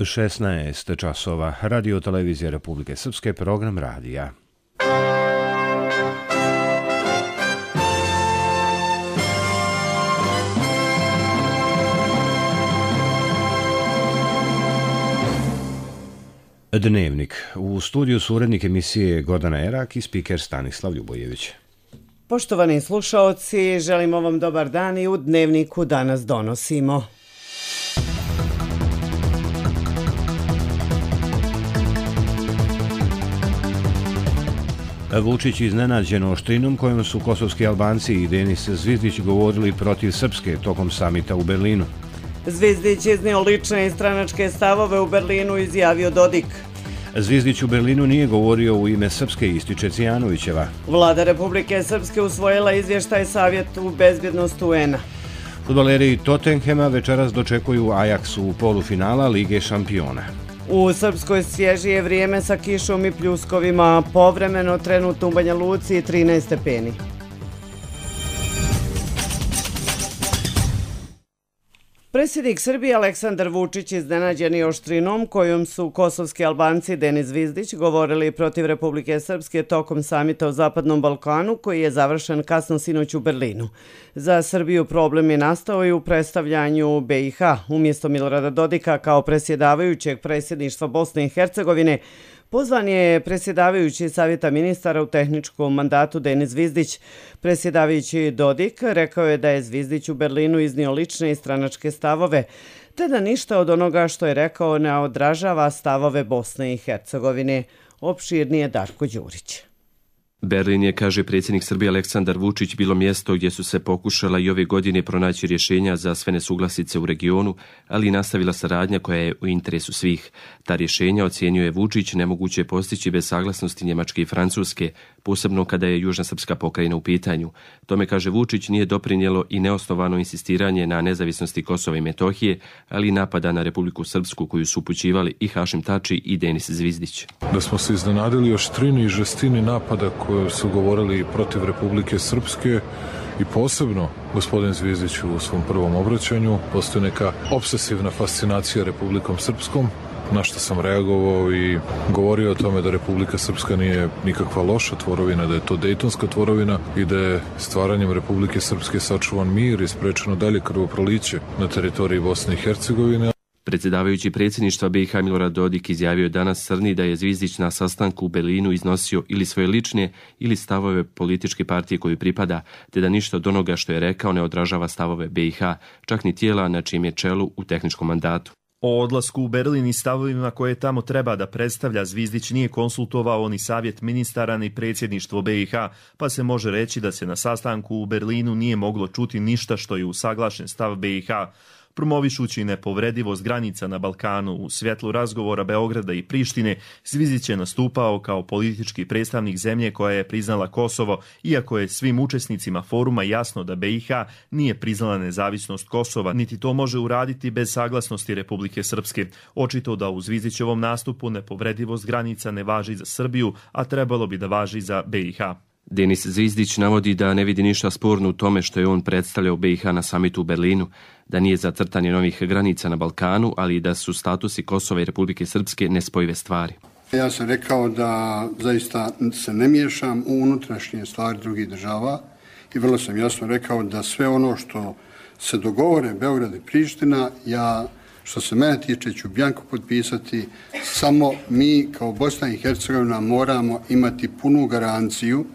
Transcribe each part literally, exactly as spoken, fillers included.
šesnaest časova. Radio televizija Republike Srpske, program radija. Dnevnik. U studiju su urednik emisije Gordana Erak i spiker Stanislav Ljubojević. Poštovani slušaoci, želimo vam dobar dan i u Dnevniku danas donosimo. Vučić iznenađen oštrinom kojom su kosovski Albanci i Denis Zvizdić govorili protiv Srpske tokom samita u Berlinu. Zvizdić iznio lične i stranačke stavove u Berlinu, izjavio Dodik. Zvizdić u Berlinu nije govorio u ime Srpske, ističe Cijanovićeva. Vlada Republike Srpske usvojila izvještaj Savjetu bezbjednosti U N-a. Fudbaleri Tottenhema večeras dočekuju Ajax u polufinala Lige šampiona. U Srpskoj svježije vrijeme sa kišom i pljuskovima, povremeno trenutno u Banja Luci trinaest stepeni. Predsjednik Srbije Aleksandar Vučić iznenađen je oštrinom kojom su kosovski Albanci Denis Zvizdić govorili protiv Republike Srpske tokom samita o Zapadnom Balkanu koji je završen kasno sinoć u Berlinu. Za Srbiju problem je nastao i u predstavljanju B i H. Umjesto Milorada Dodika kao predsjedavajućeg predsjedništva Bosne i Hercegovine, pozvan je predsjedavajući Savjeta ministara u tehničkom mandatu Denis Zvizdić. Predsjedavajući Dodik rekao je da je Zvizdić u Berlinu iznio lične i stranačke stavove, te da ništa od onoga što je rekao ne odražava stavove Bosne i Hercegovine. Opširnije Darko Đurić. Berlin je, kaže predsjednik Srbije Aleksandar Vučić, bilo mjesto gdje su se pokušala i ove godine pronaći rješenja za sve nesuglasice u regionu, ali i nastavila saradnja koja je u interesu svih. Ta rješenja, ocjenjuje Vučić, nemoguće je postići bez saglasnosti Njemačke i Francuske, posebno kada je Južna Srpska pokrajina u pitanju. Tome, kaže Vučić, nije doprinijelo i neosnovano insistiranje na nezavisnosti Kosova i Metohije, ali i napada na Republiku Srpsku koju su upućivali i Hašim Tači i Denis Zvizdić. Da smo se iznenadili oštrini i žestini napada koje su govorili protiv Republike Srpske i posebno gospodin Zvizdić u svom prvom obraćanju. Postoji neka obsesivna fascinacija Republikom Srpskom, na što sam reagovao i govorio o tome da Republika Srpska nije nikakva loša tvorovina, da je to Dejtonska tvorovina i da je stvaranjem Republike Srpske sačuvan mir i sprečeno dalje krvoproliće na teritoriji Bosne i Hercegovine. Predsjedavajući predsjedništva B i H Milorad Dodik izjavio danas Srni da je Zvizdić na sastanku u Berlinu iznosio ili svoje lične ili stavove političke partije koju pripada, te da ništa od onoga što je rekao ne odražava stavove B i H, čak ni tijela na čijem je čelu u tehničkom mandatu. O odlasku u Berlin i stavovima koje tamo treba da predstavlja Zvizdić nije konsultovao ni Savjet ministara ni predsjedništvo B i H, pa se može reći da se na sastanku u Berlinu nije moglo čuti ništa što je usaglašen stav B i H. Promovišući nepovredivost granica na Balkanu u svjetlu razgovora Beograda i Prištine, Zvizdić je nastupao kao politički predstavnik zemlje koja je priznala Kosovo, iako je svim učesnicima foruma jasno da B i H nije priznala nezavisnost Kosova, niti to može uraditi bez saglasnosti Republike Srpske. Očito da u Zvizdićevom nastupu nepovredivost granica ne važi za Srbiju, a trebalo bi da važi za B i H. Denis Zvizdić navodi da ne vidi ništa sporno u tome što je on predstavljao B i H na samitu u Berlinu, da nije za crtanje novih granica na Balkanu, ali da su statusi Kosova i Republike Srpske nespojive stvari. Ja sam rekao da zaista se ne miješam u unutrašnje stvari drugih država i vrlo sam jasno rekao da sve ono što se dogovore Beograd i Priština, ja što se mene tiče ću bjanko potpisati, samo mi kao Bosna i Hercegovina moramo imati punu garanciju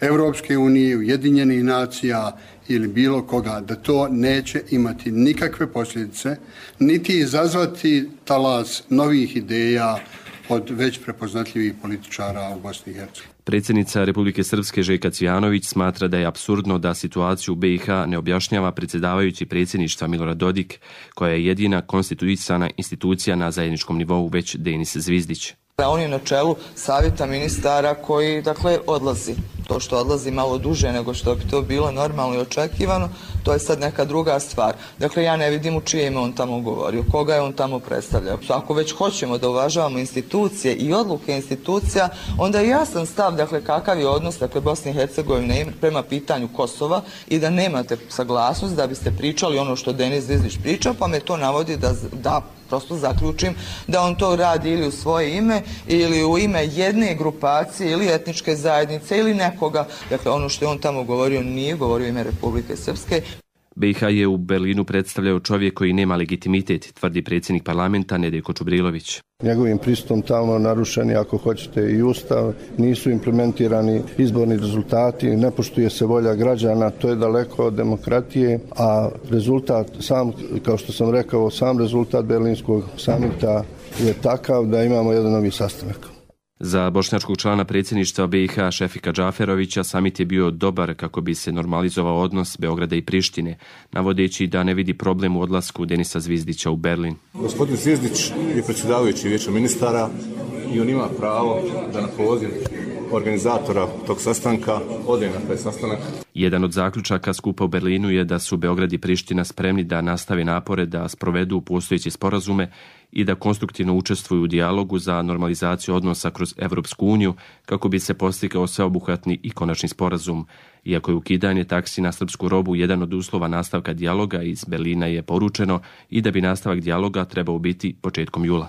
Evropske unije, Ujedinjenih nacija ili bilo koga, da to neće imati nikakve posljedice, niti izazvati talas novih ideja od već prepoznatljivih političara u Bosni i Hercegovini. Predsjednica Republike Srpske Željka Cvijanović smatra da je apsurdno da situaciju u B i H ne objašnjava predsjedavajući predsjedništva Milorad Dodik, koja je jedina konstituisana institucija na zajedničkom nivou, već Denis Zvizdić. On je na čelu Savjeta ministara koji, dakle, odlazi. To što odlazi malo duže nego što bi to bilo normalno i očekivano, to je sad neka druga stvar. Dakle, ja ne vidim u čije ime on tamo govorio, koga je on tamo predstavljao. Ako već hoćemo da uvažavamo institucije i odluke institucija, onda je jasan stav, dakle, kakav je odnos, dakle, Bosne i Hercegovine prema pitanju Kosova i da nemate saglasnost da biste pričali ono što Denis Zvizdić pričao, pa me to navodi da, da prosto zaključim da on to radi ili u svoje ime ili u ime jedne grupacije ili etničke zajednice ili nekoga. Dakle, ono što je on tamo govorio nije govorio u ime Republike Srpske. B i H je u Berlinu predstavljao čovjek koji nema legitimitet, tvrdi predsjednik parlamenta Nedeljko Čubrilović. Njegovim pristupom tamo narušeni, ako hoćete, i ustav, nisu implementirani izborni rezultati, ne poštuje se volja građana, to je daleko od demokratije, a rezultat, sam, kao što sam rekao, sam rezultat Berlinskog samita je takav da imamo jedan novi sastanak. Za bošnjačkog člana predsjedništva B i H Šefika Džaferovića samit je bio dobar kako bi se normalizovao odnos Beograda i Prištine, navodeći da ne vidi problem u odlasku Denisa Zvizdića u Berlin. Gospodin Zvizdić je predsjedavajući Vijeća ministara i on ima pravo da na poziv organizatora tog sastanka ode na taj sastanak. Jedan od zaključaka skupa u Berlinu je da su Beograd i Priština spremni da nastave napore da sprovedu postojeće sporazume i da konstruktivno učestvuju u dijalogu za normalizaciju odnosa kroz Evropsku uniju kako bi se postigao sveobuhvatni i konačni sporazum. Iako je ukidanje taksi na srpsku robu jedan od uslova nastavka dijaloga, iz Berlina je poručeno i da bi nastavak dijaloga trebao biti početkom jula.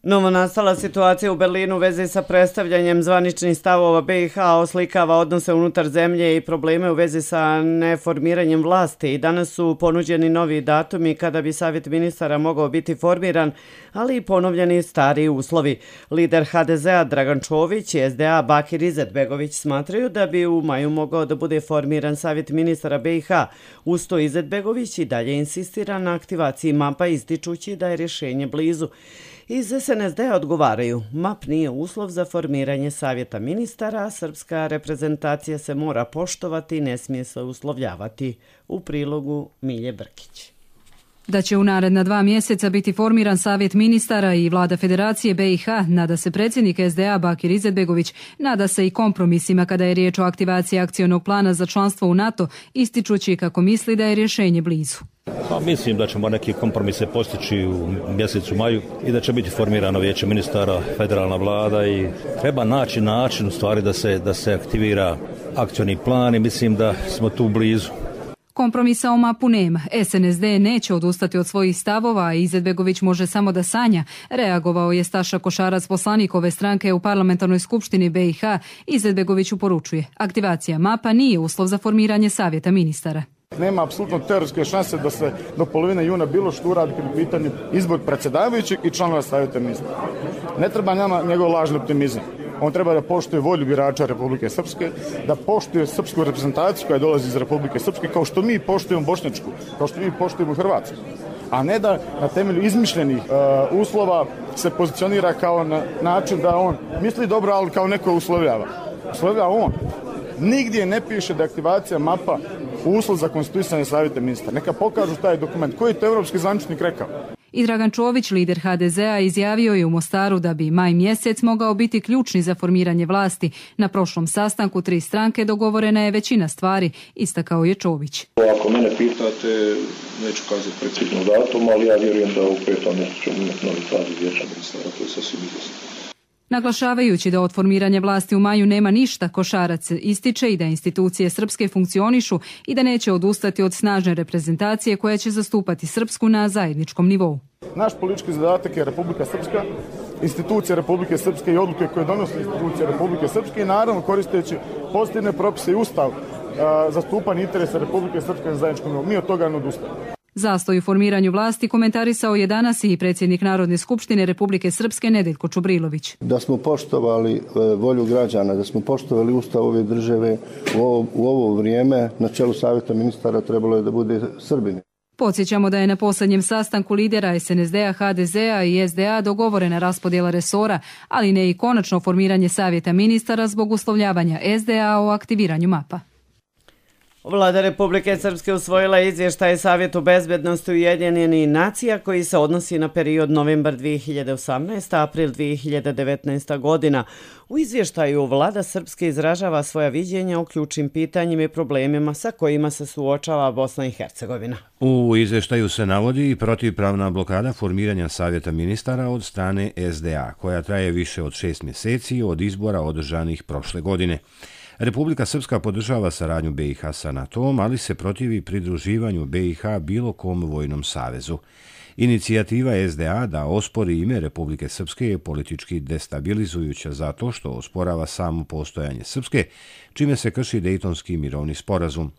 Novonastala situacija u Berlinu u vezi sa predstavljanjem zvaničnih stavova B i H oslikava odnose unutar zemlje i probleme u vezi sa neformiranjem vlasti. I danas su ponuđeni novi datumi kada bi Savjet ministara mogao biti formiran, ali i ponovljeni stari uslovi. Lider H D Z-a Dragan Čović i S D A Bakir Izetbegović smatraju da bi u maju mogao da bude formiran Savjet ministara B i H. Uz to Izetbegović i dalje insistira na aktivaciji mapa, ističući da je rješenje blizu. Iz S N S D-a odgovaraju, map nije uslov za formiranje savjeta ministara, a srpska reprezentacija se mora poštovati i ne smije se uslovljavati. U prilogu Milje Brkić. Da će u naredna dva mjeseca biti formiran savjet ministara i vlada Federacije B i H, nada se predsjednik S D A Bakir Izetbegović, nada se i kompromisima kada je riječ o aktivaciji akcionog plana za članstvo u NATO, ističući kako misli da je rješenje blizu. Pa mislim da ćemo neki kompromise postići u mjesecu maju i da će biti formirano vijeće ministara, federalna vlada i treba naći način u stvari da se, da se aktivira akcioni plan i mislim da smo tu blizu. Kompromisa o mapu nema. S N S D neće odustati od svojih stavova, a Izetbegović može samo da sanja. Reagovao je Staša Košarac, poslanik ove stranke u parlamentarnoj skupštini B i H. Izetbegoviću poručuje, aktivacija mapa nije uslov za formiranje savjeta ministara. Nema apsolutno teoretske šanse da se do polovine juna bilo što uradi kad je pitanje izbor predsjedavajućeg i članova savjeta ministara. Ne treba nama njegov lažni optimizam. On treba da poštuje volju birača Republike Srpske, da poštuje srpsku reprezentaciju koja dolazi iz Republike Srpske, kao što mi poštujemo bošnjačku, kao što mi poštujemo Hrvatsku. A ne da na temelju izmišljenih uh, uslova se pozicionira kao na način da on misli dobro, ali kao neko uslovljava. Uslovljava on. Nigdje ne piše da je aktivacija mapa uslov za konstituisanje savjeta ministara. Neka pokažu taj dokument. Koji je to evropski zvaničnik rekao? I Dragan Čović, lider H D Z-a, izjavio je u Mostaru da bi maj mjesec mogao biti ključni za formiranje vlasti. Na prošlom sastanku tri stranke dogovorena je većina stvari, istakao je Čović. Ako mene pitate, neću kazati precizno datum, ali ja vjerujem da u petom mjesecu ćemo imati novi saziv vijeća ministara, to je sasvim izvjesno. Naglašavajući da od formiranja vlasti u maju nema ništa, Košarac ističe i da institucije srpske funkcionišu i da neće odustati od snažne reprezentacije koja će zastupati Srpsku na zajedničkom nivou. Naš politički zadatak je Republika Srpska, institucije Republike Srpske i odluke koje donose institucije Republike Srpske i naravno koristeći pozitivne propise i ustav zastupanje interesa Republike Srpske na zajedničkom nivou. Mi od toga ne odustajemo. Zastoj u formiranju vlasti komentarisao je danas i predsjednik Narodne skupštine Republike Srpske Nedeljko Čubrilović. Da smo poštovali volju građana, da smo poštovali ustav ove države u ovo, u ovo vrijeme, na čelu savjeta ministara trebalo je da bude Srbini. Podsjećamo da je na posljednjem sastanku lidera S N S D-a, H D Z-a i S D A dogovorena raspodjela resora, ali ne i konačno formiranje savjeta ministara zbog uslovljavanja S D A o aktiviranju mapa. Vlada Republike Srpske usvojila izvještaj Savjetu bezbednosti Ujedinjenih nacija koji se odnosi na period novembar dvije hiljade osamnaeste. april dvije hiljade devetnaeste. godina. U izvještaju Vlada Srpske izražava svoja viđenja o ključnim pitanjima i problemima sa kojima se suočava Bosna i Hercegovina. U izvještaju se navodi i protivpravna blokada formiranja Savjeta ministara od strane S D A, koja traje više od šest mjeseci od izbora održanih prošle godine. Republika Srpska podržava saradnju B i H sa NATO-om, ali se protivi pridruživanju B i H bilo kom vojnom savezu. Inicijativa S D A da ospori ime Republike Srpske je politički destabilizujuća zato što osporava samo postojanje Srpske, čime se krši Dejtonski mirovni sporazum.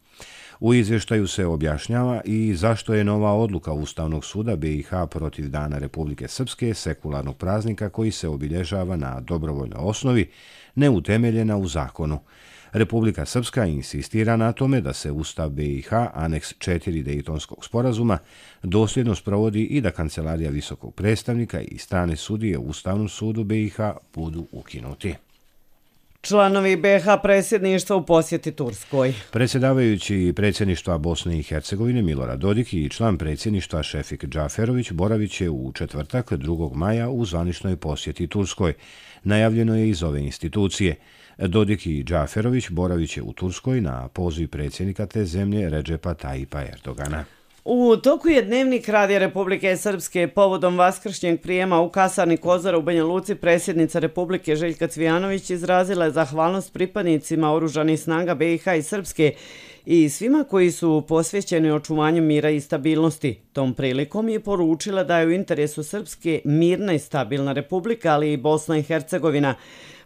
U izvještaju se objašnjava i zašto je nova odluka Ustavnog suda B i H protiv Dana Republike Srpske, sekularnog praznika koji se obilježava na dobrovoljnoj osnovi, neutemeljena u zakonu. Republika Srpska insistira na tome da se Ustav B i H, aneks četiri Dejtonskog sporazuma, dosljedno sprovodi i da Kancelarija visokog predstavnika i strane sudije u Ustavnom sudu B i H budu ukinuti. Članovi B i H predsjedništva u posjeti Turskoj. Predsjedavajući predsjedništva Bosne i Hercegovine Milorad Dodik i član predsjedništva Šefik Džaferović boravit će u četvrtak drugog maja u zvaničnoj posjeti Turskoj. Najavljeno je iz ove institucije. Dodik i Džaferović boravit će u Turskoj na poziv predsjednika te zemlje Redžepa Tajipa Erdogana. U toku je dnevnik Radija Republike Srpske povodom vaskršnjeg prijema u kasarni Kozara u Banja Luci predsjednica Republike Željka Cvijanović izrazila je zahvalnost pripadnicima oružanih snaga B i H i Srpske i svima koji su posvećeni očuvanju mira i stabilnosti. Tom prilikom je poručila da je u interesu Srpske mirna i stabilna republika, ali i Bosna i Hercegovina.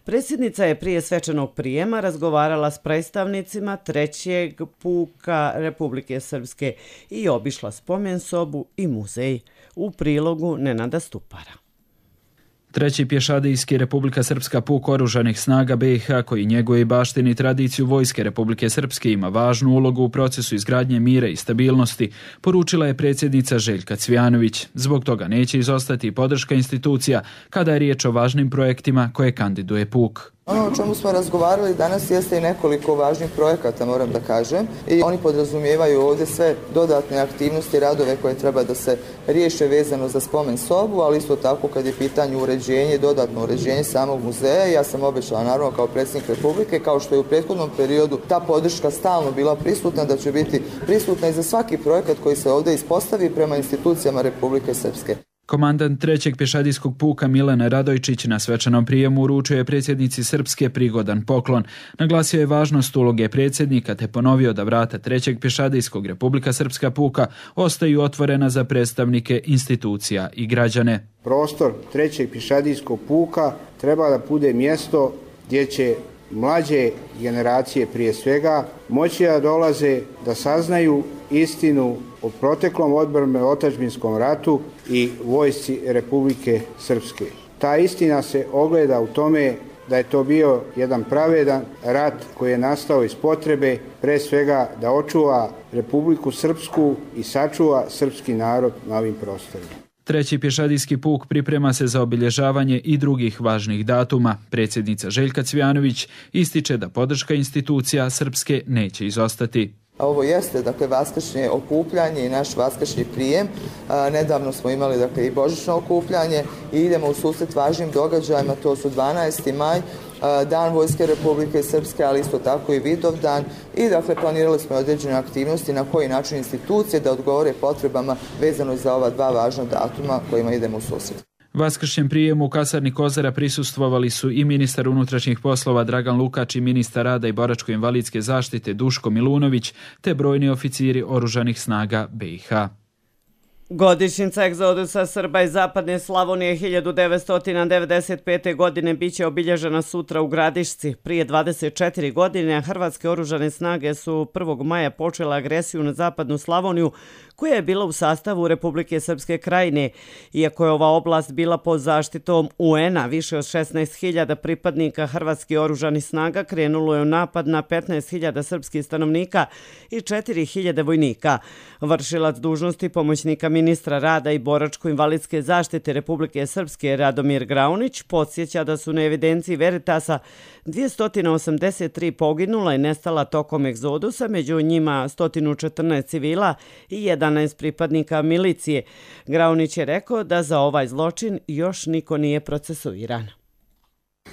Predsjednica je prije svečanog prijema razgovarala s predstavnicima trećeg puka Republike Srpske i obišla spomen sobu i muzej. U prilogu Nenada Stupara. Treći pješadijski Republika Srpska puk oružanih snaga B i H koji njeguje i baštini tradiciju vojske Republike Srpske ima važnu ulogu u procesu izgradnje mira i stabilnosti, poručila je predsjednica Željka Cvijanović. Zbog toga neće izostati podrška institucija kada je riječ o važnim projektima koje kandiduje puk. Ono o čemu smo razgovarali danas jeste i nekoliko važnih projekata, moram da kažem, i oni podrazumijevaju ovdje sve dodatne aktivnosti i radove koje treba da se riješe vezano za spomen sobu, ali isto tako kad je pitanje uređenje, dodatno uređenje samog muzeja. Ja sam obećala naravno kao predsjednik Republike, kao što je u prethodnom periodu ta podrška stalno bila prisutna, da će biti prisutna i za svaki projekat koji se ovdje ispostavi prema institucijama Republike Srpske. Komandant trećeg pješadijskog puka Milan Radojčić na svečanom prijemu uručio je predsjednici Srpske prigodan poklon. Naglasio je važnost uloge predsjednika te ponovio da vrata trećeg pješadijskog Republika Srpska puka ostaju otvorena za predstavnike institucija i građane. Prostor trećeg pješadijskog puka treba da bude mjesto gdje će mlađe generacije prije svega moći da dolaze da saznaju istinu o proteklom odbrane otadžbinskom ratu i vojsci Republike Srpske. Ta istina se ogleda u tome da je to bio jedan pravedan rat koji je nastao iz potrebe pre svega da očuva Republiku Srpsku i sačuva srpski narod na ovim prostorima. Treći pješadijski puk priprema se za obilježavanje i drugih važnih datuma. Predsjednica Željka Cvijanović ističe da podrška institucija Srpske neće izostati. Ovo jeste, dakle, vaskršnje okupljanje i naš vaskršnji prijem. A, nedavno smo imali, dakle, i božićno okupljanje i idemo u susret važnim događajima, to su dvanaesti maj, a, Dan Vojske Republike Srpske, ali isto tako i Vidovdan i, dakle, planirali smo određene aktivnosti na koji način institucije da odgovore potrebama vezano za ova dva važna datuma kojima idemo u susret. Vaskršnjem prijemu u kasarni Kozara prisustvovali su i ministar unutrašnjih poslova Dragan Lukač i ministar rada i boračko-invalidske zaštite Duško Milunović te brojni oficiri oružanih snaga B i H. Godišnjica egzodusa Srba iz zapadne Slavonije hiljadu devetsto devedeset pete. godine biće obilježena sutra u Gradišci. Prije dvadeset četiri godine Hrvatske oružane snage su prvog maja počela agresiju na zapadnu Slavoniju koja je bila u sastavu Republike Srpske Krajine. Iako je ova oblast bila pod zaštitom U N-a, više od šesnaest hiljada pripadnika Hrvatskih oružanih snaga krenulo je u napad na petnaest hiljada srpskih stanovnika i četiri hiljade vojnika. Vršilac dužnosti pomoćnika ministra rada i boračko-invalidske zaštite Republike Srpske Radomir Graunić podsjeća da su na evidenciji Veritasa dvjesto osamdeset tri poginula i nestala tokom egzodusa, među njima sto četrnaest civila i jedanaest pripadnika milicije. Graunić je rekao da za ovaj zločin još niko nije procesuiran.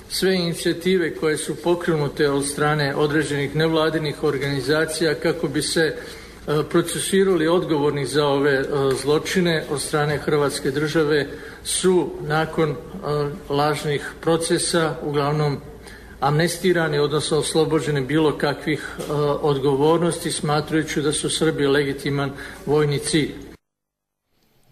Sve inicijative koje su pokrenute od strane određenih nevladinih organizacija kako bi se procesirali odgovorni za ove zločine od strane Hrvatske države su nakon lažnih procesa uglavnom amnestirani, odnosno oslobođeni bilo kakvih uh, odgovornosti, smatrajući da su Srbi legitiman vojni cilj.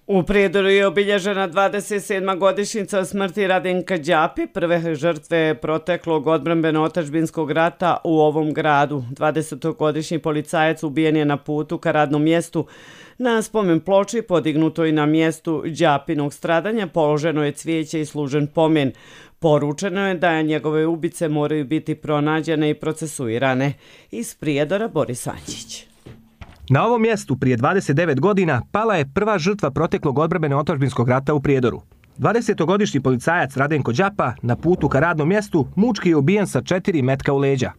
U Prijedoru je obilježena dvadeset sedma godišnjica smrti Radenka Đapi, prve žrtve proteklog odbrambeno-otadžbinskog rata u ovom gradu. dvadesetogodišnji policajac ubijen je na putu ka radnom mjestu. Na spomen ploči podignuto i na mjestu Đapinog stradanja položeno je cvijeće i služen pomen. Poručeno je da njegove ubice moraju biti pronađene i procesuirane. Iz Prijedora Boris Anđić. Na ovom mjestu prije dvadeset devet godina pala je prva žrtva proteklog odbrambeno-otadžbinskog rata u Prijedoru. dvadesetogodišnji policajac Radenko Đapa na putu ka radnom mjestu mučki je ubijen sa četiri metka u leđa.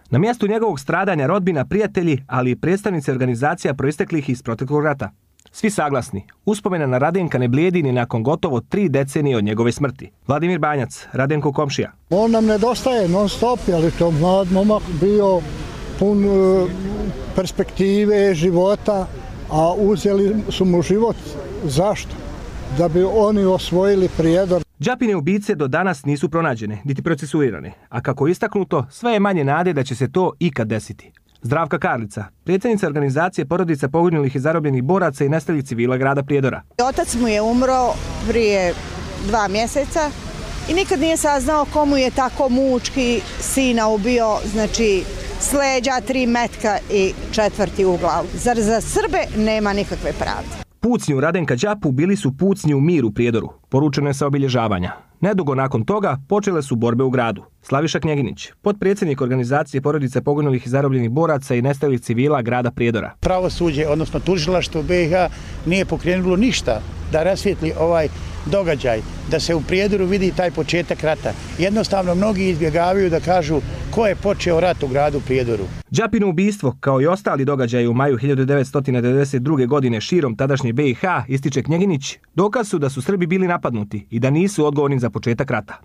Na mjestu njegovog stradanja rodbina, prijatelji, ali i predstavnici organizacija proisteklih iz proteklog rata. Svi saglasni, uspomena na Radenka ne blijedi ni nakon gotovo tri decenije od njegove smrti. Vladimir Banjac, Radenko komšija. On nam nedostaje non stop, ali to mlad momak bio pun perspektive života, a uzeli su mu život. Zašto? Da bi oni osvojili Prijedor. Đapine ubice do danas nisu pronađene, niti procesuirane, a kako je istaknuto, sve je manje nade da će se to ikad desiti. Zdravka Karlica, predsjednica organizacije porodica poginulih i zarobljenih boraca i nestalih civila grada Prijedora. Otac mu je umro prije dva mjeseca i nikad nije saznao komu je tako mučki sina ubio, znači s leđa, tri metka i četvrti u glavu. Zar za Srbe nema nikakve pravde? Pucnji u Radenka Đapu bili su pucnji u mir u Prijedoru, poručeno je sa obilježavanja. Nedugo nakon toga počele su borbe u gradu. Slaviša Knjeginić, potpredsjednik organizacije porodice poginulih i zarobljenih boraca i nestalih civila grada Prijedora. Pravosuđe, odnosno tužilaštvo B i H nije pokrenulo ništa da rasvijetli ovaj događaj, da se u Prijedoru vidi taj početak rata. Jednostavno mnogi izbjegavaju da kažu ko je počeo rat u gradu Prijedoru. Đapino ubistvo, kao i ostali događaji u maju hiljadu devetsto devedeset druge. godine širom tadašnje B i H, ističe Knjeginić, dokaz su da su Srbi bili napadnuti i da nisu odgovorni za početak rata.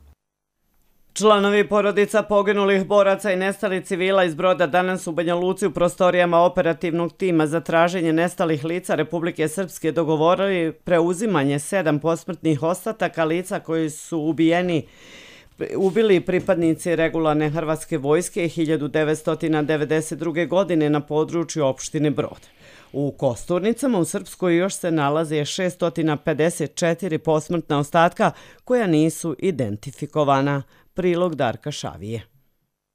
Članovi porodica poginulih boraca i nestalih civila iz Broda danas u Banja Luci u prostorijama operativnog tima za traženje nestalih lica Republike Srpske dogovorili preuzimanje sedam posmrtnih ostataka lica koji su ubijeni ubili pripadnici regularne hrvatske vojske hiljadu devetsto devedeset druge. godine na području opštine Brod. U Kosturnicama u Srpskoj još se nalaze šesto pedeset četiri posmrtna ostatka koja nisu identifikovana. Prilog Darka Šavije.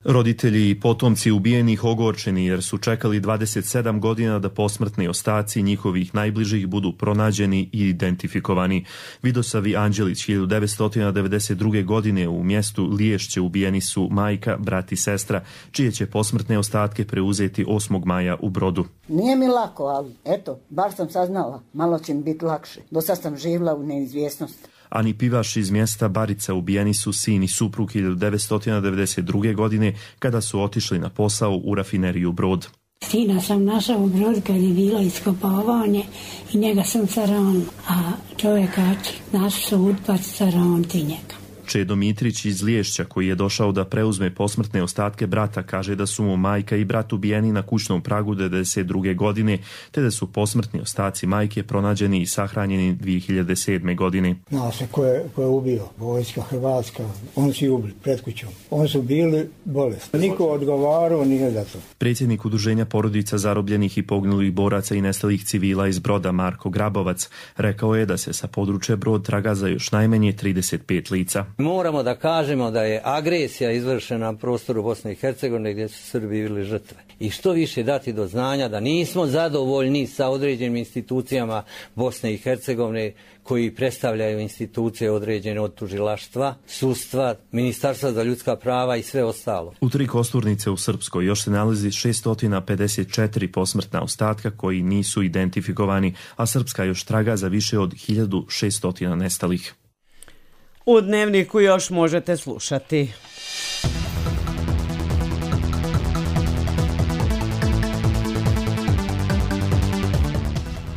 Roditelji i potomci ubijenih ogorčeni jer su čekali dvadeset sedam godina da posmrtni ostaci njihovih najbližih budu pronađeni i identifikovani. Vidosavi Anđelić hiljadu devetsto devedeset druge. godine u mjestu Liješće ubijeni su majka, brat i sestra, čije će posmrtne ostatke preuzeti osmog maja u Brodu. Nije mi lako, ali eto, bar sam saznala, malo će mi biti lakše. Do sad sam živjela u neizvjesnosti. Ani Pivaš iz mjesta Barica ubijeni su sin i suprug hiljadu devetsto devedeset druge. godine kada su otišli na posao u rafineriju Brod. Sina sam našao u Brodu kad je bilo iskopavanje i njega sam caron, a čovjekači naši su utpaci caronti njega. Čedo Mitrić iz Liješća, koji je došao da preuzme posmrtne ostatke brata, kaže da su mu majka i brat ubijeni na kućnom pragu devedeset druge. godine, te da su posmrtni ostaci majke pronađeni i sahranjeni dvije hiljade sedme. godine. Zna se ko je, ko je ubio, vojska Hrvatska, oni su ubili pred kućom. Oni su bili bolesni. Niko odgovarao nije za to. Predsjednik Udruženja porodica zarobljenih i poginulih boraca i nestalih civila iz Broda, Marko Grabovac, rekao je da se sa područja Brod traga za još najmanje trideset pet lica. Moramo da kažemo da je agresija izvršena na prostoru Bosne i Hercegovine gdje su Srbi bili žrtve. I što više dati do znanja da nismo zadovoljni sa određenim institucijama Bosne i Hercegovine koji predstavljaju institucije određene od tužilaštva, sudstva, Ministarstva za ljudska prava i sve ostalo. U tri Kosturnice u Srpskoj još se nalazi šesto pedeset četiri posmrtna ostatka koji nisu identifikovani, a Srpska još traga za više od hiljadu šesto nestalih. U Dnevniku još možete slušati.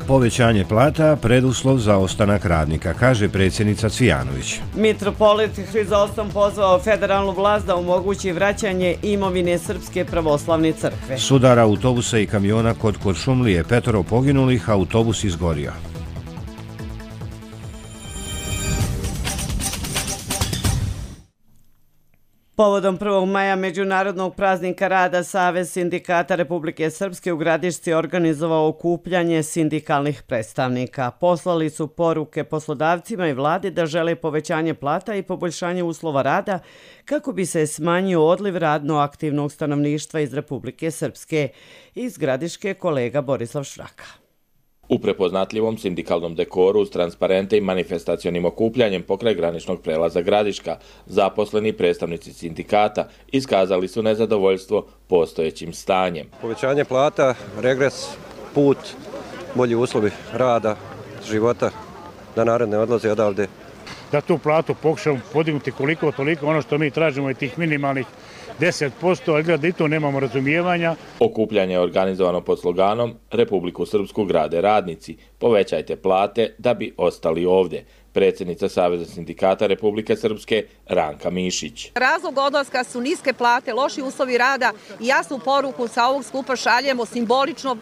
Povećanje plata preduslov za ostanak radnika, kaže predsjednica Cvijanović. Mitropolit Hrizostom pozvao federalnu vlast da omogući vraćanje imovine Srpske pravoslavne crkve. Sudar autobusa i kamiona kod Kuršumlije, petoro poginulih, autobus izgorio. Povodom prvog maja Međunarodnog praznika rada Savez sindikata Republike Srpske u Gradišci organizovao okupljanje sindikalnih predstavnika. Poslali su poruke poslodavcima i vladi da žele povećanje plata i poboljšanje uslova rada kako bi se smanjio odliv radno aktivnog stanovništva iz Republike Srpske. Iz Gradiške kolega Borislav Šraka. U prepoznatljivom sindikalnom dekoru s transparente i manifestacionim okupljanjem pokraj graničnog prelaza Gradiška, zaposleni predstavnici sindikata iskazali su nezadovoljstvo postojećim stanjem. Povećanje plata, regres, put, bolji uslovi rada, života, da naredne odlaze odavde. Da tu platu pokušamo podignuti koliko toliko, ono što mi tražimo je tih minimalnih deset posto, ali gleda da i to nemamo razumijevanja. Okupljanje je organizovano pod sloganom Republiku Srpsku grade radnici, povećajte plate da bi ostali ovdje. Predsjednica Saveza sindikata Republike Srpske Ranka Mišić. Razlog odlaska su niske plate, loši uslovi rada i jasnu poruku sa ovog skupa šaljemo simbolično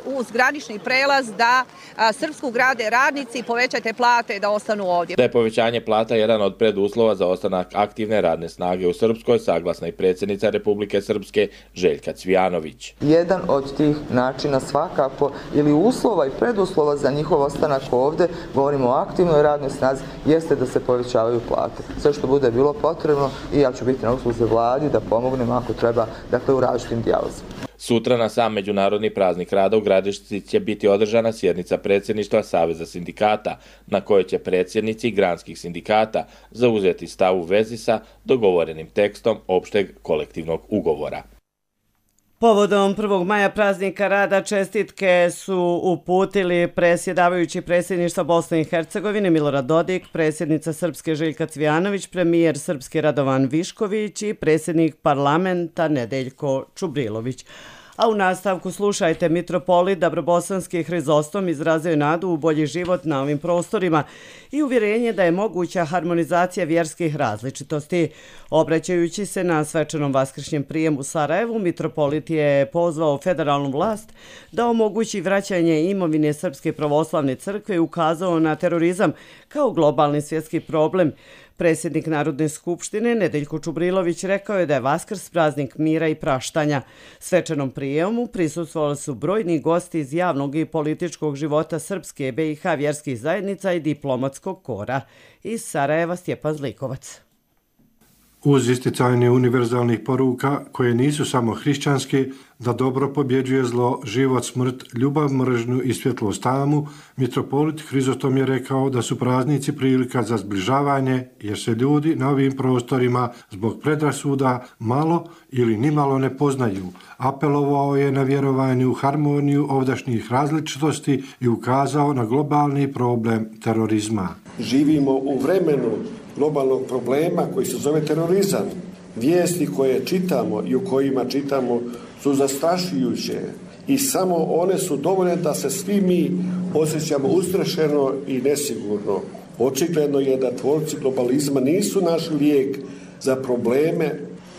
uz granični prelaz da Srpsku grade radnici, povećajte plate da ostanu ovdje. Da je povećanje plata jedan od preduslova za ostanak aktivne radne snage u Srpskoj, saglasna i predsjednica Republike Srpske Željka Cvijanović. Jedan od tih načina svakako ili uslova i preduslova za njihov ostanak ovdje, govorimo o aktivnoj radnoj snazi, jeste da se povećavaju plate. Sve što bude bilo potrebno i ja ću biti na usluzi vladi da pomognem ako treba, dakle u različitim dijalozima. Sutra na sam Međunarodni praznik rada u Gradišci će biti održana sjednica predsjedništva Saveza sindikata, na kojoj će predsjednici granskih sindikata zauzeti stav u vezi sa dogovorenim tekstom opšteg kolektivnog ugovora. Povodom prvog maja praznika rada čestitke su uputili predsjedavajući predsjedništva Bosne i Hercegovine Milorad Dodik, predsjednica Srpske Željka Cvijanović, premijer Srpske Radovan Višković i predsjednik parlamenta Nedeljko Čubrilović. A u nastavku slušajte, mitropolit Dabrobosanski Hrizostom izrazio nadu u bolji život na ovim prostorima i uvjerenje da je moguća harmonizacija vjerskih različitosti. Obraćajući se na svečanom vaskršnjem prijemu u Sarajevu, mitropolit je pozvao federalnu vlast da omogući vraćanje imovine Srpske pravoslavne crkve i ukazao na terorizam kao globalni svjetski problem. Predsjednik Narodne skupštine Nedeljko Čubrilović rekao je da je Vaskrs praznik mira i praštanja. Svečanom prijemu prisustvovali su brojni gosti iz javnog i političkog života Srpske, B i H vjerskih zajednica i diplomatskog kora. Iz Sarajeva Stjepan Zlikovac. Uz isticanje univerzalnih poruka koje nisu samo hrišćanske, da dobro pobjeđuje zlo, život, smrt, ljubav, mržnju i svjetlost tamu, mitropolit Hrizostom je rekao da su praznici prilika za zbližavanje, jer se ljudi na ovim prostorima zbog predrasuda malo ili nimalo ne poznaju. Apelovao je na vjerovanje u harmoniju ovdašnjih različitosti i ukazao na globalni problem terorizma. Živimo u vremenu globalnog problema koji se zove terorizam. Vijesti koje čitamo i u kojima čitamo su zastrašujuće i samo one su dovoljne da se svi mi osjećamo ustrašeno i nesigurno. Očigledno je da tvorci globalizma nisu našli lijek za probleme,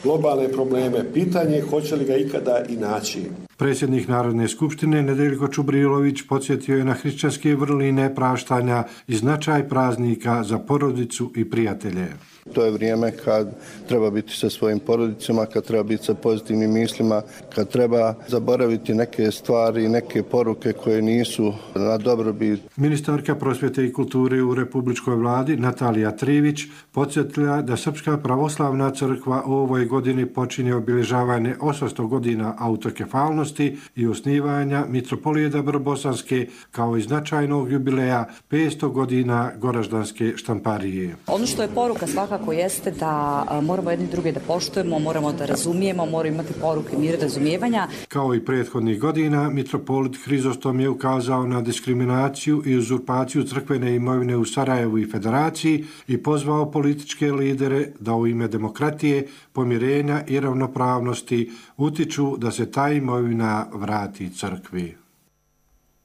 globalne probleme. Pitanje je hoće li ga ikada i naći. Predsjednik Narodne skupštine Nedeljko Čubrilović podsjetio je na hrišćanske vrline praštanja i značaj praznika za porodicu i prijatelje. To je vrijeme kad treba biti sa svojim porodicama, kad treba biti sa pozitivnim mislima, kad treba zaboraviti neke stvari, neke poruke koje nisu na dobrobit. Ministarka prosvjete i kulture u Republičkoj vladi Natalija Trivić podsjetila da Srpska pravoslavna crkva u ovoj godini počinje obilježavanje osamsto godina autokefalnosti i osnivanja mitropolije Dabrobosanske kao i značajnog jubileja petsto godina Goraždanske štamparije. Ono što je poruka svakako jeste da moramo jedni druge da poštujemo, moramo da razumijemo, moramo imati poruke mira i razumijevanja. Kao i prethodnih godina, mitropolit Hrizostom je ukazao na diskriminaciju i uzurpaciju crkvene imovine u Sarajevu i Federaciji i pozvao političke lidere da u ime demokratije, pomirenja i ravnopravnosti utiču da se ta imovina vrati crkvi.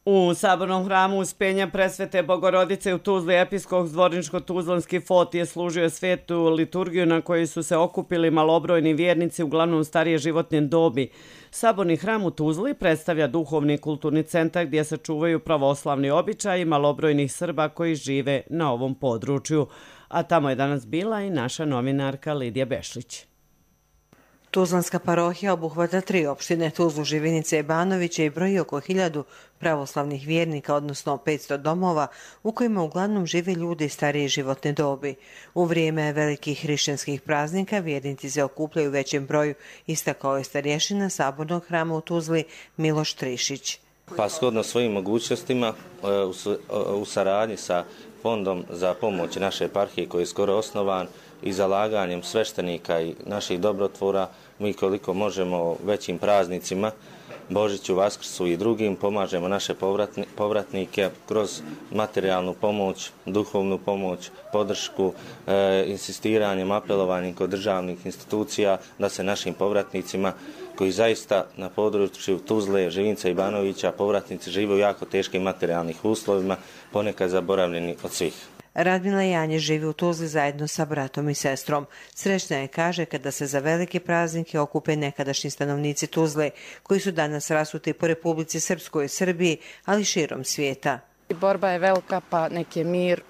U Sabornom hramu Uspenja Presvete Bogorodice u Tuzli episkop Zvorničko-Tuzlanski fot je služio svetu liturgiju na kojoj su se okupili malobrojni vjernici, uglavnom starije životne dobi. Saborni hram u Tuzli predstavlja duhovni i kulturni centar gdje se čuvaju pravoslavni običaji malobrojnih Srba koji žive na ovom području. A tamo je danas bila i naša novinarka Lidija Bešlić. Tuzlanska parohija obuhvata tri opštine, Tuzlu, Živinice i Banoviće i broji oko hiljadu pravoslavnih vjernika, odnosno petsto domova u kojima uglavnom žive ljudi starije životne dobi. U vrijeme velikih hrišćanskih praznika vjernici se okupljaju u većem broju, istakao je starješina Sabornog hrama u Tuzli Miloš Trišić. Pa shodno svojim mogućnostima u saradnji sa Fondom za pomoć naše eparhije koji je skoro osnovan i zalaganjem sveštenika i naših dobrotvora, mi koliko možemo većim praznicima, Božiću, Vaskrsu i drugim, pomažemo naše povratnike kroz materijalnu pomoć, duhovnu pomoć, podršku, e, insistiranjem, apelovanjem kod državnih institucija da se našim povratnicima koji zaista na području Tuzle, Živinca i Banovića povratnici žive u jako teškim materijalnih uslovima, ponekad zaboravljeni od svih. Radmila Janje živi u Tuzli zajedno sa bratom i sestrom. Srećna je, kaže, kada se za velike praznike okupe nekadašnji stanovnici Tuzle, koji su danas rasuti po Republici Srpskoj i Srbiji, ali širom svijeta. Borba je velika, pa nek je mir,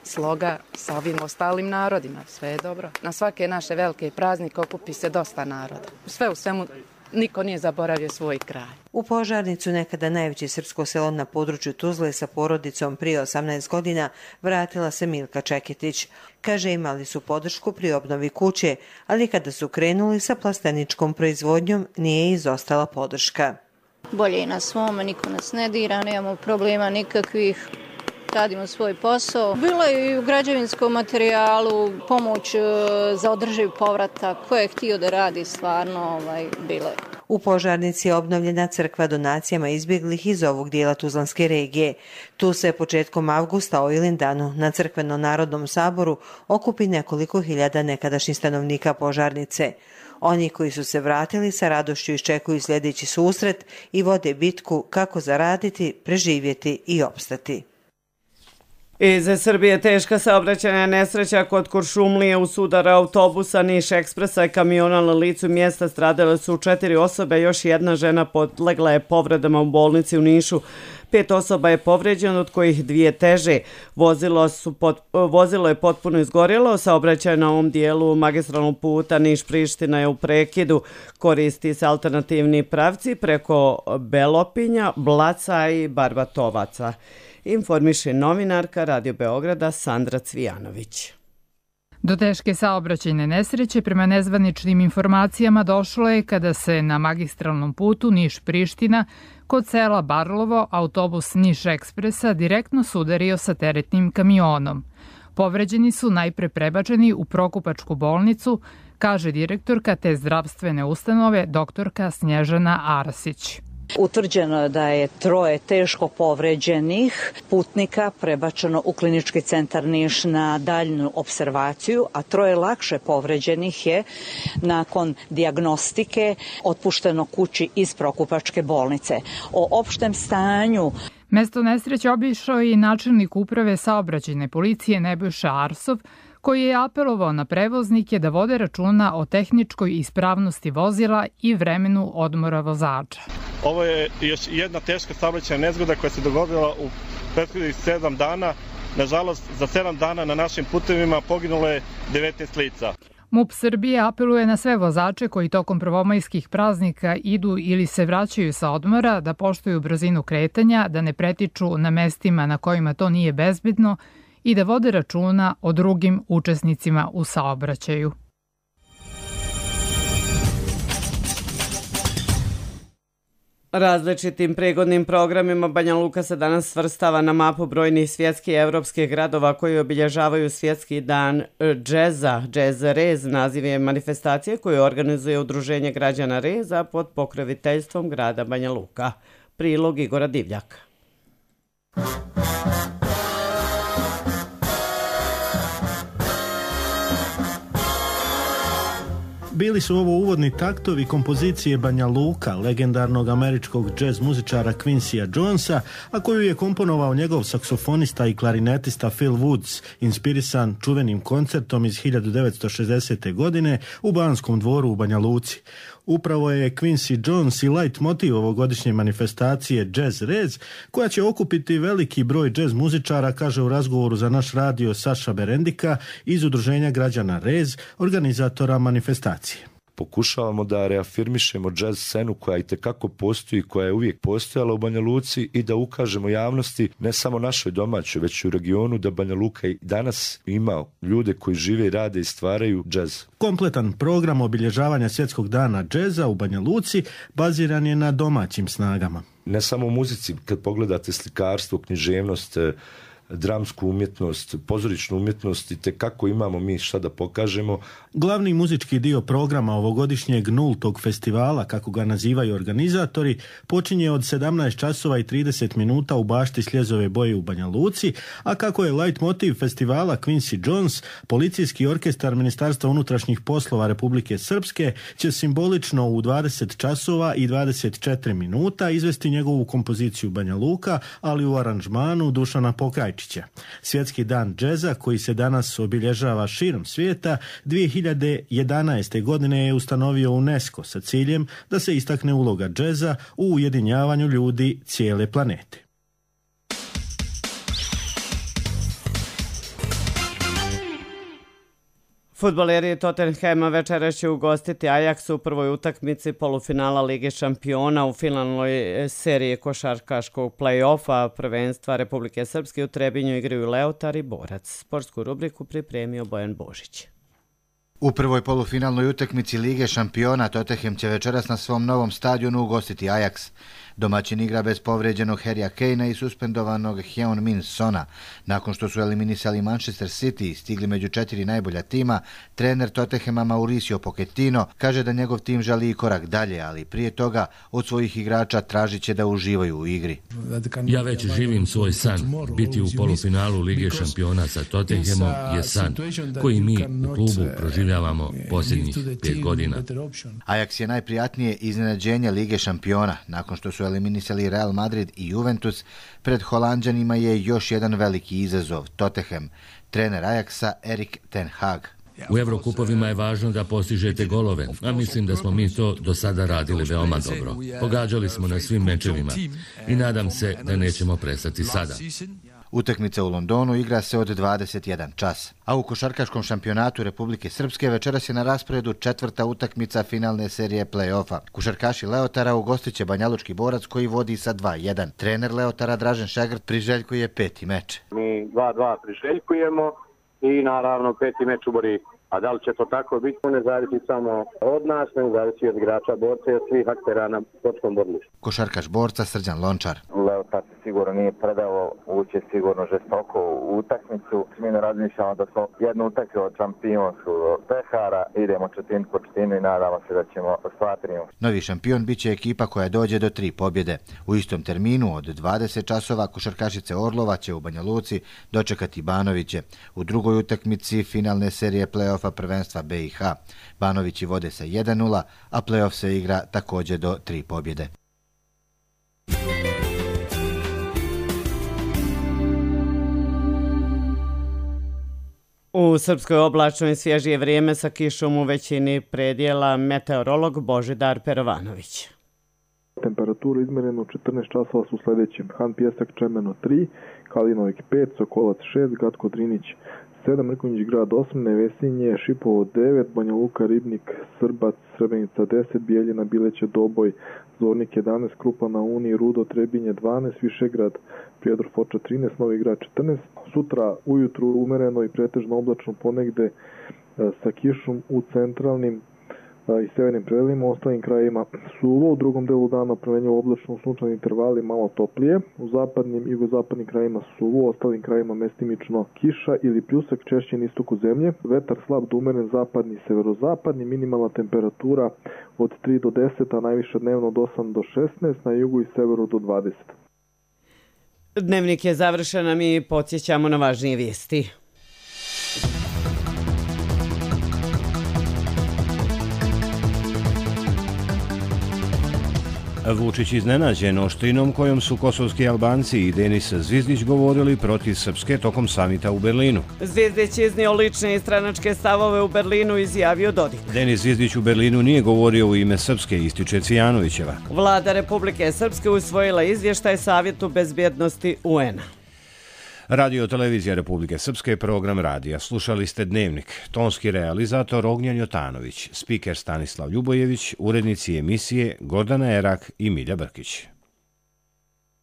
sloga sa ovim ostalim narodima. Sve je dobro. Na svake naše velike praznike okupi se dosta naroda. Sve u svemu, niko nije zaboravio svoj kraj. U Požarnicu, nekada najveće srpsko selo na području Tuzle, sa porodicom prije osamnaest godina vratila se Milka Čeketić. Kaže, imali su podršku pri obnovi kuće, ali kada su krenuli sa plasteničkom proizvodnjom nije izostala podrška. Bolje je na svome, niko nas ne dira, nemamo problema nikakvih. Radimo svoj posao. Bilo je i u građevinskom materijalu pomoć za održiv povratak. Ko je htio da radi, stvarno ovaj, bilo je. U Požarnici je obnovljena crkva donacijama izbjeglih iz ovog dijela Tuzlanske regije. Tu se početkom avgusta o Ilindanu na crkveno narodnom saboru okupi nekoliko hiljada nekadašnjih stanovnika Požarnice. Oni koji su se vratili sa radošću iščekuju sljedeći susret i vode bitku kako zaraditi, preživjeti i opstati. Iz Srbije teška saobraćajna nesreća kod Kuršumlije u sudara autobusa Niš Ekspresa i kamiona na licu mjesta stradale su četiri osobe, još jedna žena podlegla je povredama u bolnici u Nišu. Pet osoba je povređeno, od kojih dvije teže. Vozilo, su pot, vozilo je potpuno izgorjelo, saobraćaj na ovom dijelu magistralnog puta Niš-Priština je u prekidu. Koristi se alternativni pravci preko Belopinja, Blaca i Barbatovaca. Informiše novinarka Radio Beograda Sandra Cvijanović. Do teške saobraćajne nesreće prema nezvaničnim informacijama došlo je kada se na magistralnom putu Niš-Priština kod sela Barlovo autobus Niš Ekspresa direktno sudario sa teretnim kamionom. Povređeni su najpre prebačeni u Prokupačku bolnicu, kaže direktorka te zdravstvene ustanove doktorka Snježana Arasić. Utvrđeno je da je troje teško povređenih putnika prebačeno u klinički centar Niš na daljnu observaciju, a troje lakše povređenih je nakon dijagnostike otpušteno kući iz Prokupačke bolnice. O opštem stanju mesto nesreće obišao je i načelnik uprave saobraćajne policije Nebojša Arsov, koji je apelovao na prevoznike da vode računa o tehničkoj ispravnosti vozila i vremenu odmora vozača. Ovo je još jedna teška saobraćajna nezgoda koja se dogodila u prethodnih sedam dana. Nažalost, za sedam dana na našim putevima poginulo je devetnaest lica. MUP Srbije apeluje na sve vozače koji tokom prvomajskih praznika idu ili se vraćaju sa odmora da poštuju brzinu kretanja, da ne pretiču na mestima na kojima to nije bezbedno i da vode računa o drugim učesnicima u saobraćaju. Različitim pregodnim programima Banja Luka se danas svrstava na mapu brojnih svjetskih i evropskih gradova koji obilježavaju svjetski dan džeza. Džez Rez naziv je manifestacije koju organizuje Udruženje građana Reza pod pokroviteljstvom grada Banja Luka. Prilog Igora Divljaka. Bili su ovo uvodni taktovi kompozicije Banja Luka, legendarnog američkog džez muzičara Quincyja Jonesa, a koju je komponovao njegov saksofonista i klarinetista Phil Woods, inspirisan čuvenim koncertom iz hiljadu devetsto šezdesete. godine u Banskom dvoru u Banja Luci. Upravo je Quincy Jones i light motiv ovogodišnje manifestacije Jazz Rez, koja će okupiti veliki broj džez muzičara, kaže u razgovoru za naš radio Saša Berendika iz Udruženja građana Rez, organizatora manifestacije. pokušavamo da reafirmišemo džez scenu koja i tekako postoji, koja je uvijek postojala u Banja Luci i da ukažemo javnosti, ne samo našoj domaćoj, već i u regionu, da Banja Luka i danas ima ljude koji žive i rade i stvaraju džez. Kompletan program obilježavanja Svjetskog dana džeza u Banja Luci baziran je na domaćim snagama. Ne samo u muzici, kad pogledate slikarstvo, književnost, dramsku umjetnost, pozorišnu umjetnost i te kako imamo mi šta da pokažemo. Glavni muzički dio programa ovogodišnjeg nultog festivala, kako ga nazivaju organizatori, počinje od sedamnaest časova i trideset minuta u bašti Sljezove boje u Banja Luci, a kako je light motiv festivala Quincy Jones, policijski orkestar Ministarstva unutrašnjih poslova Republike Srpske će simbolično u dvadeset časova i dvadeset četiri minuta izvesti njegovu kompoziciju Banja Luka, ali u aranžmanu Dušana Pokrajčića. Svjetski dan džeza, koji se danas obilježava širom svijeta, dvije hiljade jedanaeste. godine je ustanovio UNESCO sa ciljem da se istakne uloga džeza u ujedinjavanju ljudi cijele planete. Fudbaleri Tottenhama večeras će ugostiti Ajax u prvoj utakmici polufinala Lige šampiona u finalnoj seriji košarkaškog play-offa prvenstva Republike Srpske. U Trebinju igraju Leotar i Borac. Sportsku rubriku pripremio Bojan Božić. U prvoj polufinalnoj utakmici Lige šampiona Tottenham će večeras na svom novom stadionu ugostiti Ajax. Domaćin igra bez povređenog Harrya Kanea i suspendovanog Heung-min Sona. Nakon što su eliminisali Manchester City i stigli među četiri najbolja tima, trener Tottenhama Mauricio Pochettino kaže da njegov tim želi i korak dalje, ali prije toga od svojih igrača tražit će da uživaju u igri. Ja već živim svoj san. Biti u polufinalu Lige šampiona sa Tottenhamom je san koji mi u klubu proživljavamo posljednjih pet godina. Ajax je najprijatnije iznenađenje Lige šampiona. Nakon što su eliminisali Real Madrid i Juventus, pred Holanđanima je još jedan veliki izazov, Tottenham. Trener Ajaxa Erik ten Hag. U Evrokupovima je važno da postižete golove, a mislim da smo mi to do sada radili veoma dobro. Pogađali smo na svim mečevima i nadam se da nećemo prestati sada. Utakmica u Londonu igra se od dvadeset jedan čas. A u košarkaškom šampionatu Republike Srpske večeras je na rasporedu četvrta utakmica finalne serije play-offa. Košarkaši Leotara ugostit će Banjalučki Borac koji vodi sa dva jedan. Trener Leotara Dražen Šegrt priželjkuje peti meč. Mi dva dva priželjkujemo i naravno peti meč u Borijku. A da li će to tako biti, ne zavisi samo od nas, ne zavisi od igrača Borca i od svih aktera na sportskom borilištu. Košarkaš Borca Srđan Lončar. Leotar se sigurno nije predao, uće sigurno žestoko u utakmicu. Mi ne razmišljamo da smo jednu utakmicu od šampionskog pehara, idemo četinu po četinu i nadamo se da ćemo ostvariti. Novi šampion bit će ekipa koja dođe do tri pobjede. U istom terminu od dvadeset časova košarkašice Orlova će u Banja Luci dočekati Banoviće. U drugoj utakmici finalne serije play-offa prvenstva B i H. Banovići vode sa jedan nula, a play-off se igra također do tri pobjede. U Srpskoj oblačno i svježije vrijeme sa kišom u većini predjela meteorolog Božidar Perovanović. Temperaturu izmjerenu u četrnaest časova su sljedećim: Han Pjesak Čemeno tri, Kalinovik pet, Sokolac šest, Gatko Drinić sedam, Mrkonjić grad osam, Nevesinje, Šipovo devet, Banja Luka, Ribnik, Srbac, Srebrenica deset, Bijeljina, Bileće, Doboj, Zornik jedanaest, Krupa na Uni, Rudo, Trebinje dvanaest, Višegrad, Prijedor Foča trinaest, Novi grad četrnaest. Sutra ujutru umereno i pretežno oblačno ponegde sa kišom u centralnim i severnim predelima, u ostalim krajima suvo, u drugom delu dana promenjivo oblačno u sunčanim intervali malo toplije, u zapadnim i jugozapadnim krajima suvo, u ostalim krajima mestimično kiša ili pljusak, češće na istoku zemlje, vetar slab do umeren zapadni i severozapadni, minimalna temperatura od tri do deset, a najviša dnevno od osam do šesnaest, na jugu i severu do dvadeset. Dnevnik je završen, a mi podsjećamo na važnije vijesti. Vučić iznenađen oštrinom kojom su kosovski Albanci i Denis Zvizdić govorili protiv Srpske tokom samita u Berlinu. Zvizdić iznio lične i stranačke stavove u Berlinu, izjavio Dodik. Denis Zvizdić u Berlinu nije govorio u ime Srpske, ističe Cijanovićeva. Vlada Republike Srpske usvojila izvještaj Savjetu bezbjednosti U N-a. Radio Televizija Republike Srpske, program radija. Slušali ste Dnevnik. Tonski realizator Ognjan Jotanović, spiker Stanislav Ljubojević, urednici emisije Gordana Erak i Milja Brkić.